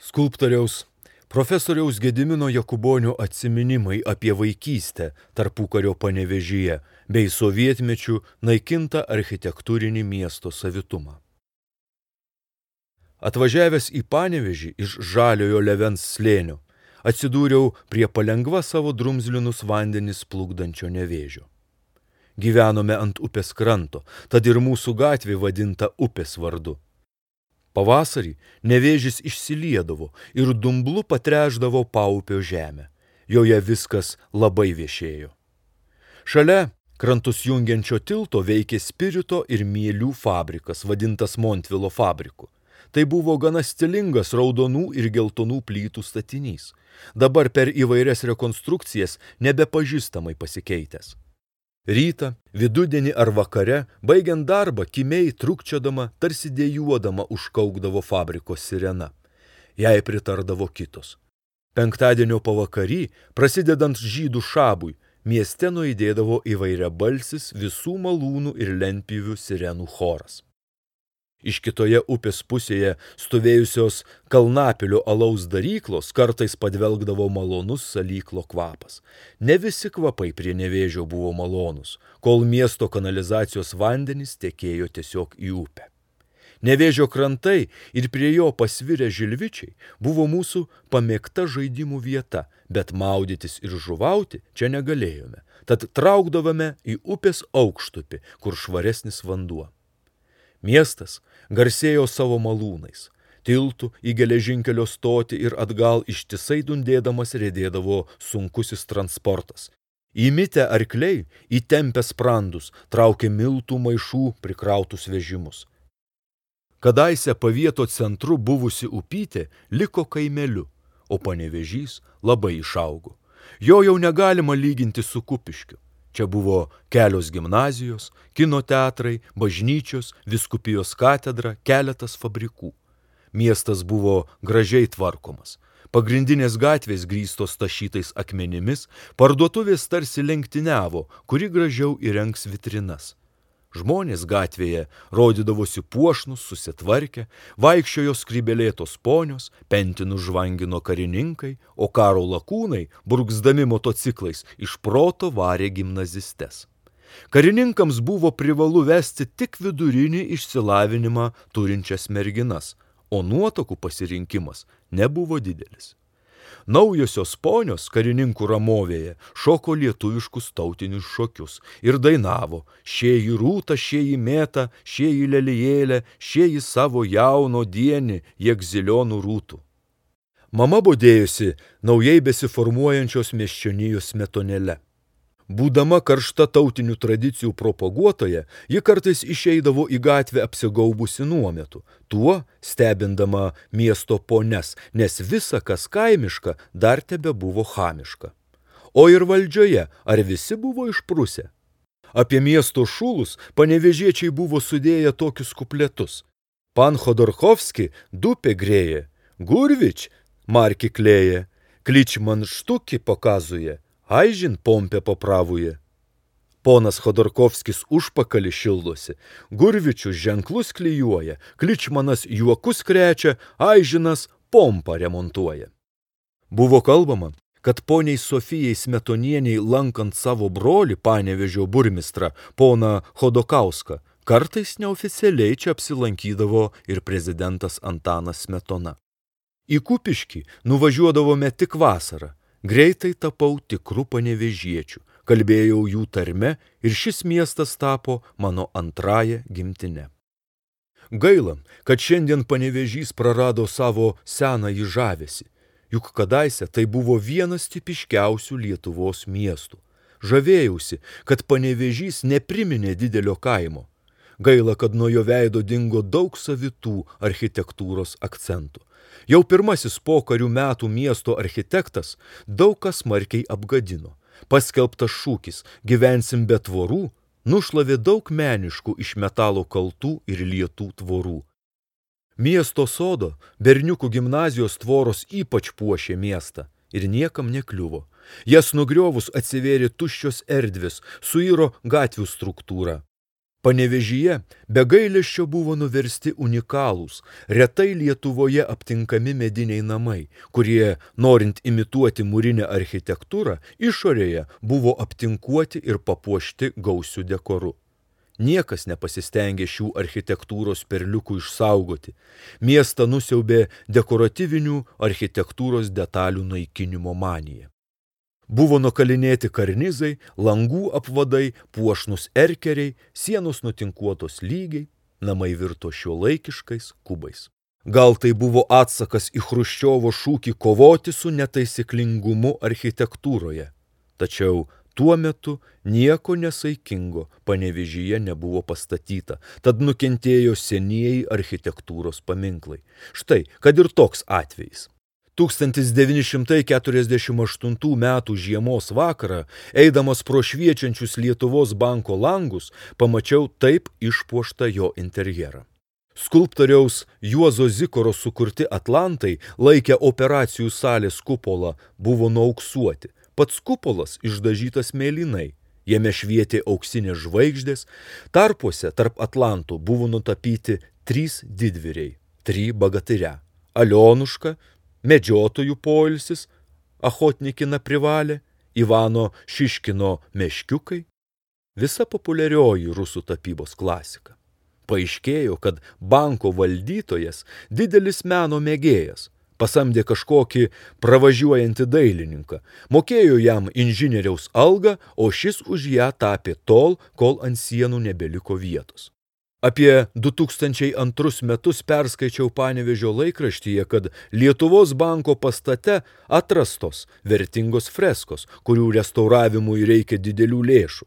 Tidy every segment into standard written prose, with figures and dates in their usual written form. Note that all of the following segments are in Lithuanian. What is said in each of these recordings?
Skulptoriaus profesoriaus Gedimino Jakubonio atsiminimai apie vaikystę tarpukario Panevėžyje bei sovietmečių naikintą architektūrinį miesto savitumą. Atvažiavęs į Panevėžį iš Žaliojo Levens slėnio, atsidūriau prie palengva savo drumzlinus vandenis plukdančio Nevėžio. Gyvenome ant upės kranto, tad ir mūsų gatvė vadinta upės vardu. Pavasarį Nevėžis išsiliedavo ir dumblu patrešdavo paupio žemę. Joje viskas labai viešėjo. Šalia krantus jungiančio tilto veikė spirito ir mielių fabrikas, vadintas Montvilo fabriku. Tai buvo gana stilingas raudonų ir geltonų plytų statinys, dabar per įvairias rekonstrukcijas nebepažįstamai pasikeitęs. Rytą, vidudienį ar vakare, baigiant darbą, kimiai trukčiodama, tarsi dejuodama užkaukdavo fabriko sirena. Jai pritardavo kitos. Penktadienio pavakarį, prasidedant žydų šabui, mieste nuaidėdavo įvairiabalsis visų malūnų ir lentpjūvių sirenų choras. Iš kitoje upės pusėje stovėjusios Kalnapilio alaus daryklos kartais padvelgdavo malonus salyklo kvapas. Ne visi kvapai prie Nevėžio buvo malonus, kol miesto kanalizacijos vandenys tekėjo tiesiog į upę. Nevėžio krantai ir prie jo pasvirę žilvičiai buvo mūsų pamėgta žaidimų vieta, bet maudytis ir žuvauti čia negalėjome, tad traukdavome į upės aukštupį, kur švaresnis vanduo. Miestas garsėjo savo malūnais. Tiltų į geležinkelio stotį ir atgal ištisai dundėdamas riedėdavo sunkusis transportas. Įmitę arkliai, įtempę sprandus, traukė miltų maišų prikrautus vežimus. Kadaise pavieto centru buvusi upytė liko kaimeliu, o Panevėžys labai išaugo. Jo jau negalima lyginti su Kupiškiu. Čia buvo kelios gimnazijos, kino teatrai, bažnyčios, vyskupijos katedra, keletas fabrikų. Miestas buvo gražiai tvarkomas. Pagrindinės gatvės grįstos tašytais akmenimis, parduotuvės tarsi lenktyniavo, kuri gražiau įrengs vitrinas. Žmonės gatvėje rodydavosi puošnus, susitvarkę, vaikščiojo skrybelėtos ponios, pentinus žvangino karininkai, o karo lakūnai, burgzdami motociklais, iš proto varė gimnazistes. Karininkams buvo privalu vesti tik vidurinį išsilavinimą turinčias merginas, o nuotakų pasirinkimas nebuvo didelis. Naujosios ponios karininkų ramovėje šoko lietuviškus tautinius šokius ir dainavo: šėji rūta, šėji mėta, šėji lelijėlė, šėji savo jauno dienį, jėg zilionų rūtų. Mama bodėjosi naujai besiformuojančios miesčionijos smetonėle. Būdama karšta tautinių tradicijų propaguotoja, ji kartais išeidavo į gatvę apsigaubusi nuometu, tuo stebindama miesto ponias, nes visa, kas kaimiška, dar tebe buvo chamiška. O ir valdžioje, ar visi buvo išprusę? Apie miesto šulus panevėžiečiai buvo sudėję tokius kupletus. Pan Chodorkovski dupė grėje, Gurvič marki klėje, Kličman štuki pokazuje, Aižin pompė papravuje. Ponas Chodorkovskis užpakalį šildosi, Gurvičius ženklus klijuoja, Kličmanas juokus krečia, Aižinas pompą remontuoja. Buvo kalbama, kad poniai Sofijai Smetonieniai lankant savo brolį Panevėžio burmistrą, poną Chodokauską, kartais neoficialiai čia apsilankydavo ir prezidentas Antanas Smetona. Į Kupiškį nuvažiuodavome tik vasarą. Greitai tapau tikru panevėžiečiu, kalbėjau jų tarme ir šis miestas tapo mano antrąja gimtine. Gaila, kad šiandien Panevėžys prarado savo senąjį žavesį, juk kadaise tai buvo vienas tipiškiausių Lietuvos miestų. Žavėjausi, kad Panevėžys nepriminė didelio kaimo. Gaila, kad nuo jo veido dingo daug savitų architektūros akcentų. Jau pirmasis pokarių metų miesto architektas daug kas smarkiai apgadino. Paskelbtas šūkis "Gyvensim be tvorų" nušlavė daug meniškų iš metalo kaltų ir lietų tvorų. Miesto sodo, berniukų gimnazijos tvoros ypač puošė miestą ir niekam nekliuvo. Jas nugriovus atsivėrė tuščios erdvės, suiro gatvių struktūra. Panevėžyje be gailesčio buvo nuversti unikalūs, retai Lietuvoje aptinkami mediniai namai, kurie, norint imituoti mūrinę architektūrą, išorėje buvo aptinkuoti ir papuošti gausiu dekoru. Niekas nepasistengė šių architektūros perliukų išsaugoti. Miestą nusiaubė dekoratyvinių architektūros detalių naikinimo manija. Buvo nukalinėti karnizai, langų apvadai, puošnus erkeriai, sienos nutinkuotos lygiai, namai virto šiuolaikiškais kubais. Gal tai buvo atsakas į Chruščiovo šūkį kovoti su netaisyklingumu architektūroje. Tačiau tuo metu nieko nesaikingo Panevėžyje nebuvo pastatyta, tad nukentėjo senieji architektūros paminklai. Štai, kad ir toks atvejis. 1948 metų žiemos vakarą, eidamas pro šviečiančius Lietuvos banko langus, pamačiau taip išpuoštą jo interjerą. Skulptoriaus Juozo Zikaro sukurti atlantai, laikę operacijų salės kupolą, buvo nuauksuoti. Pats kupolas išdažytas mėlynai, jame švietė auksinės žvaigždės, tarpuose tarp atlantų buvo nutapyti 3 didvyriai, 3 bagatyria – Alionuška, Medžiotojų poilsis, Achotnikina privalė, Ivano Šiškino meškiukai, visa populiarioji rusų tapybos klasika. Paaiškėjo, kad banko valdytojas didelis meno mėgėjas, pasamdė kažkokį pravažiuojantį dailininką, mokėjo jam inžinieriaus algą, o šis už ją tapė tol, kol ant sienų nebeliko vietos. Apie 2002 metus perskaičiau Panevėžio laikraštyje, kad Lietuvos banko pastate atrastos vertingos freskos, kurių restauravimui reikia didelių lėšų.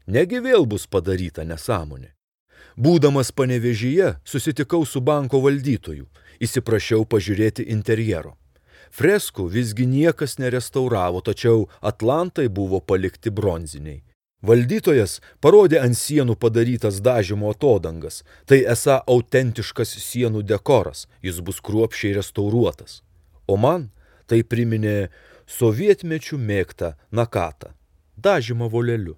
Negi vėl bus padaryta nesąmonė. Būdamas Panevėžyje, susitikau su banko valdytoju, įsiprašiau pažiūrėti interjero. Freskų visgi niekas nerestauravo, tačiau atlantai buvo palikti bronziniai. Valdytojas parodė ant sienų padarytas dažymo atodangas. Tai esą autentiškas sienų dekoras, jis bus kruopščiai restauruotas. O man tai priminė sovietmečių mėgtą nakatą, dažymą voleliu.